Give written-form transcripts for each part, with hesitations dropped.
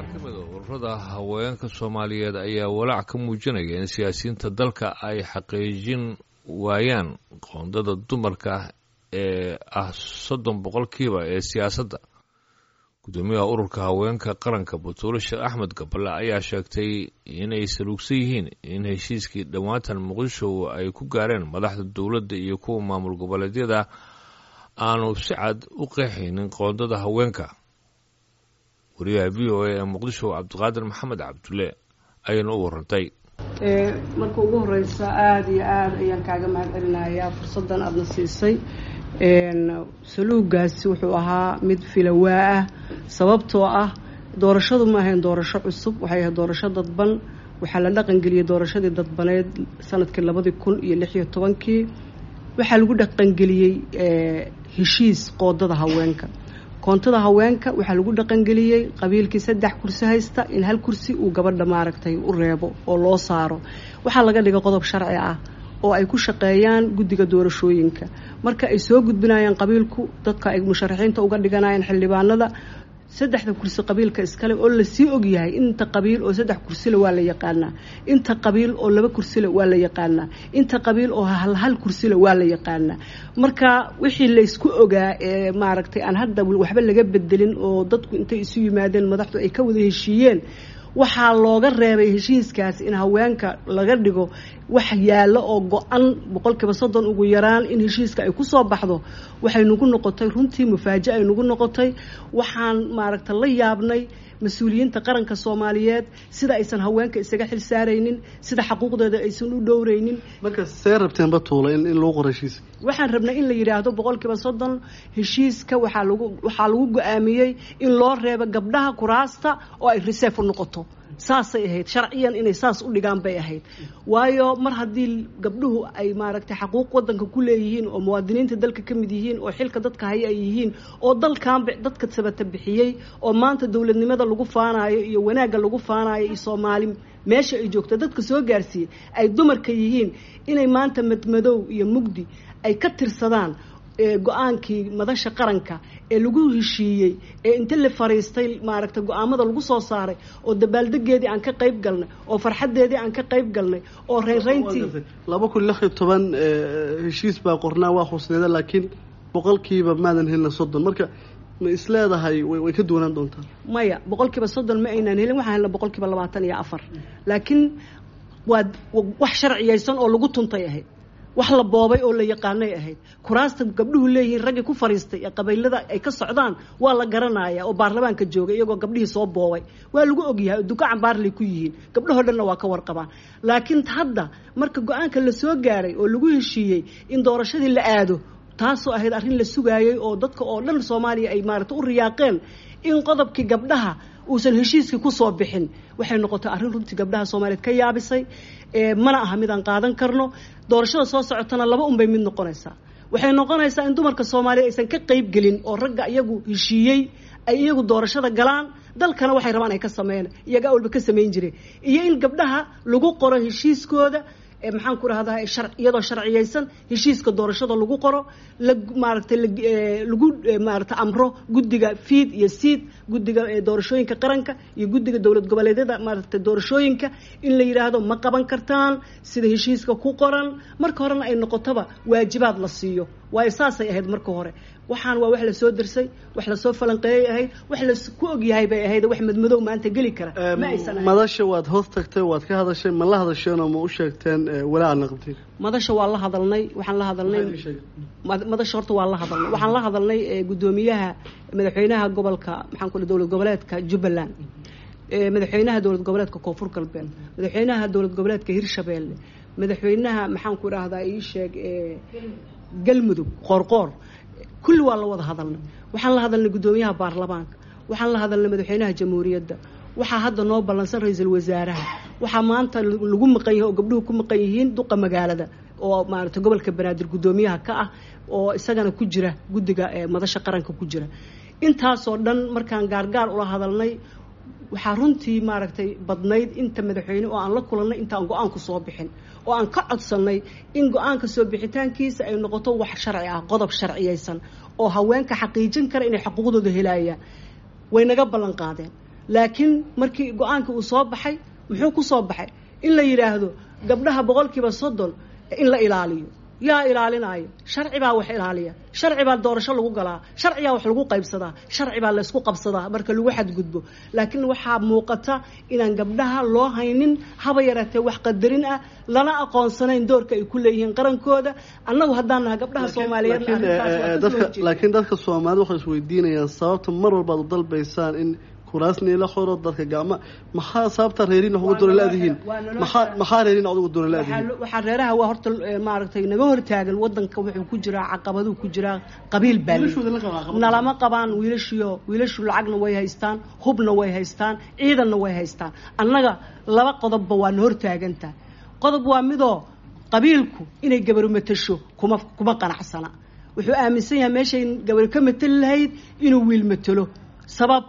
Qaar ka mid a ururada haweenka Soomaaliyeed ayaa walaac ka muujinaya in siyaasiyiinta dalka ay xaqiijin waayaan qoondada dumarka ee ah 30% ee siyaasadda. Gudoomiyaha ururka haweenka qaranka, Butuule Sheekh Axmed Gaballe, ayaa sheegtay inay saluugsan yihiin in heshiiskii dhowaantan Muqdisho ay ku gaareen madaxda dowladda iyo kuwa maamul goboleedyada aanu si cad u qeexaynin qoondada haweenka. Wariyaha VOA ee Muqdisho, Cabdiqaadir Maxamed Cabdulle, ayayna u warantay. Marka ugu horeysa, aada iyo aada ayaan kaaga mahad celinayaa fursaddan aadna siisay. Saluugaasi wuxuu ahaa mid filawaa ah, sababtoo ah doorashadu ma ahayn doorasho cusub, waxay ahayd doorasho dadban. Waxaa la dhaqangeliyey doorashadii dadbaneed sanadkii 2016-kii. Waxaa lagu dhaqangeliyey heshiis qoodada haweenka. Koontada haweenka waxaa lagu dhaqangeliyey qabiilkii saddex kursi haysta in hal kursi uu gabadha maaragtay u reebo oo loo saaro. Waxaa laga dhigay qodob sharci ah oo ay ku shaqeeyaan guddiga doorashooyinka marka ay soo gudbinayaan qabiilku dadka ay musharaxiinta uga dhiganayaan xildhibaanada. Saddexda kursi qabiilka iskale oo lasii ogyahay, inta qabiil oo saddex kursile waa la yaqaanaa, inta qabiil oo laba kursile waa la yaqaanaa, inta qabiil oo hal hal kursile waa la yaqaanaa. Marka wixii laysku ogaa ee maaragtay aan hadda waxba laga bedelin oo dadku intay isu yimaadeen madaxdu ay ka wada heshiiyeen, waxaa looga reebay heshiiskaas in haweenka laga dhigo wax yaallo oo go-an 30% ugu yaraan in heshiiska ay ku soo baxdo. Waxay nagu noqotay runtii mufaaja ay nagu noqotay. Waxaan maaragta la yaabnay mas-uuliyiinta qaranka Soomaaliyeed sida aysan haweenka isaga xil saaraynin, sida xaquuqdooda aysan u dhowraynin. Marka see rabteen, Batuula, in lagu qoro heshiiska? Waxaan rabnay in la yidhaahdo 30% heshiiska waxaa lagu go-aamiyey in loo reebo gabdhaha kuraasta oo ay reserve u noqoto. Saasay ahayd sharciyan, inay saas u dhigaan bay ahayd, waayo mar haddii gabdhuhu ay maaragtay xaquuq wadanka ku leeyihiin oo muwaadiniinta dalka ka mid yihiin oo xilka dadka haya ay yihiin oo dalkanba dadka sabata bixiyey oo maanta dowladnimada lagu faanayo iyo wanaagga lagu faanayo iyo Soomaali meesha ay joogto dadka soo gaarsiiyey ay dumarka yihiin, inay maanta madmadow iyo mugdi ay ka tirsadaan go-aankii madasha qaranka ee lagu heshiiyey ee inta la fariistay maaragtay go-aamada lagu soo saaray oo dabaaldegeedii aan ka qayb galnay oo farxaddeedii aan ka qayb galnay oo reynreyntii. 2016 heshiis baa qornaa, waa xusneeda, laakiin boqolkiiba maadan helina 30. Marka ma isleedahay way ka duwanaan doontaa? Maya, 30% ma aynaan helin. Waxaan helna 24%, laakiin waa wax sharciyaysan oo lagu tuntay ahayd, wax la boobay oo la yaqaanay ahayd. Kuraasta gabdhuhu leeyihiin raggii ku fariistay ee qabiilada ay ka socdaan waa la garanaya oo baarlamaanka joogay, iyagoo gabdhihii soo boobay waa lagu ogyahay oo duka cambaarlay ku yihiin, gabdhahoo dhanna waa ka warqabaan. Laakiin hadda marka go-aanka la soo gaaray oo lagu heshiiyey in doorashadii la aado, taasoo ahayd arrin la sugaayey oo dadka oo dhan Soomaaliya ay maaragta u riyaaqeen, in qodobkii gabdhaha uusan heshiiskii kusoo bixin waxay noqotay arrin runtii gabdhaha Soomaaliyeed ka yaabisay. Mana aha mid aan qaadan karno. Doorashada soo socotana laba unbay mid noqonaysaa. Waxay noqonaysaa in dumarka Soomaaliya aysan ka qayb gelin oo ragga iyagu heshiiyey ay iyagu doorashada galaan, dalkana waxay rabaan ay ka sameeyaan, iyaga awalba ka samayn jireen, iyo in gabdhaha lagu qoro heshiiskooda, maxaan ku rahdaa, iyadoo sharciyaysan heshiiska doorashada lagu qoro, la maaragtay lagu maaragtay amro guddiga FIIT iyo SEIT, guddiga doorashooyinka qaranka iyo guddiga dowlad goboleedyada maaragtay doorashooyinka, in la yidhaahdo ma qaban kartaan sida heshiiska ku qoran. Marka horena ay noqotoba waajibaad la siiyo, waayo saasay ahayd marka hore. Waxaan waa wax lasoo dersay, wax lasoo falanqeeyay ahayd, wax lasku ogyahay bay ahayd. Wax madmadow maanta geli kara ma aysan ahayn. Madasha waad hoos tagtay, waad ka hadashay. Ma la hadasheen oo ma u sheegteen walaaca qabteen? Madasha waa la hadalnay. Waxaan la hadalnay madasha, horta waa la hadalnay. Waxaan la hadalnay guddoomiyaha, madaxweynaha gobolka, maxaan ku dowlad goboleedka Jubbaland, madaxweynaha dowlad goboleedka Koonfur Galbeed, madaxweynaha dowlad goboleedka Hirshabeelle, madaxweynaha, maxaan ku idhaahdaa, ii sheeg, Galmudug, Qoorqoor. Kulli waa la wada hadalnay. Waxaan la hadalnay guddoomiyaha baarlamaanka, waxaan la hadalnay madaxweynaha jamhuuriyadda, waxaa hadda noo ballansan ra-iisul wasaaraha. Waxaa maanta lagu maqan yahay oo gabdhuhu ku maqan yihiin duqa magaalada oo maaragtay gobolka Banaadir guddoomiyaha ka ah oo isagana ku jira guddiga madasha qaranka ku jira. Intaasoo dhan markaan gaargaar ula hadalnay, waxaa runtii maaragtay badnayd inta madaxweyne oo aan la kulannay intaan go-aanku soo bixin oo aan ka codsannay in go-aanka soo bixitaankiisa ay noqoto wax sharci ah, qodob sharciyaysan oo haweenka xaqiijin kara inay xuquuqdooda helayaan. Way naga ballan qaadeen. Laakiin markii go-aanka uu soo baxay, muxuu ku soo baxay? In la yidhaahdo gabdhaha 30% in la ilaaliyo. Yaa ilaalinaayo? Sharci baa wax ilaaliya, sharci baa doorasho lagu galaa, sharciyaa wax lagu qaybsadaa, sharci baa laysku qabsadaa marka lagu xadgudbo. Laakiin waxaa muuqata inaan gabdhaha loo haynin haba yaraatee wax qadarin ah, lana aqoonsanayn doorka ay ku leeyihiin qarankooda. Annagu haddaan nahay gabdhaha Soomaaliyeed, laakiin dadka Soomaalida waxay isweydiinayaan sababta mar walbaad u dalbaysaan in kuraasni la xoro dadka gacma. Maxaa sababta reerin wax ugu doona laadihiin? Maxaa reerin ugu doona laadihiin? Waxaa reeraha waa horta maaragtay naga hortaagan. Wadanka wuxuu ku jiraa caqabaduu ku jiraa, qabiil baa nalama qabaan. Wiilashiyo wiilashu lacagna way haystaan, hubna way haystaan, ciidanna way haystaan. Annaga laba qodobba waa na hortaagantahay. Qodob waa midoo qabiilku inay gabaru matasho kuma qanacsana. Wuxuu aaminsan yahay meeshay gabaru ka matali lahayd inuu wiil matalo. Sabab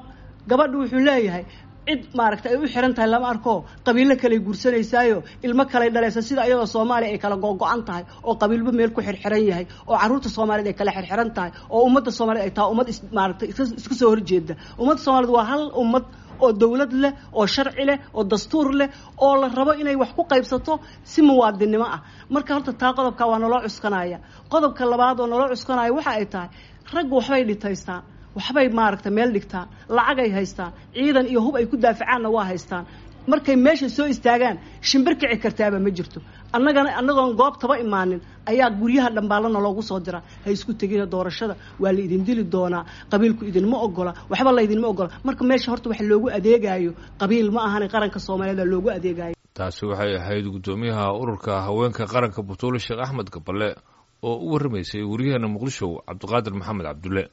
gabadhu wuxuu leeyahay cid maaragtay ay u xiran tahay lama arko, qabiilo kaley guursanaysaayo, ilmo kaley dhalaysa, sida ayadoo Soomaaliya ay kala gogo-an tahay oo qabiilba meel ku xirxiran yahay, oo carruurta Soomaaliyeed ay kala xirxiran tahay, oo ummadda Soomaaliyed ay tahay ummad maaragtay iska soo horjeeda. Ummadda Soomaaliyed waa hal ummad oo dawlad leh, oo sharci leh, oo dastuur leh, oo la rabo inay wax ku qaybsato si muwaadinnimo ah. Marka horta taa qodobka waa naloo cuskanaya. Qodobka labaad oo naloo cuskanaya waxa ay tahay raggu waxbay dhitaystaan, waxbay maaragtay meel dhigtaan, lacagay haystaan, ciidan iyo hub ay ku daafacaanna waa haystaan. Markay meesha soo istaagaan shimbir kici kartaaba ma jirto. Annagana annagoon goobtaba imaanin ayaa guryaha dhambaalana loogu soo dira: ha isku tegina doorashada, waa la idin dili doonaa, qabiilku idinma ogola, waxba laydinma ogola. Marka meesha horta wax loogu adeegaayo qabiil ma ahane, qaranka Soomaaliyeed loogu adeegayo. Taasi waxay ahayd guddoomiyaha ururka haweenka qaranka Butuule Sheekh Axmed Gaballe oo u warramaysay waryaheena Muqdisho Cabdiqaadir Maxamed Cabdulle.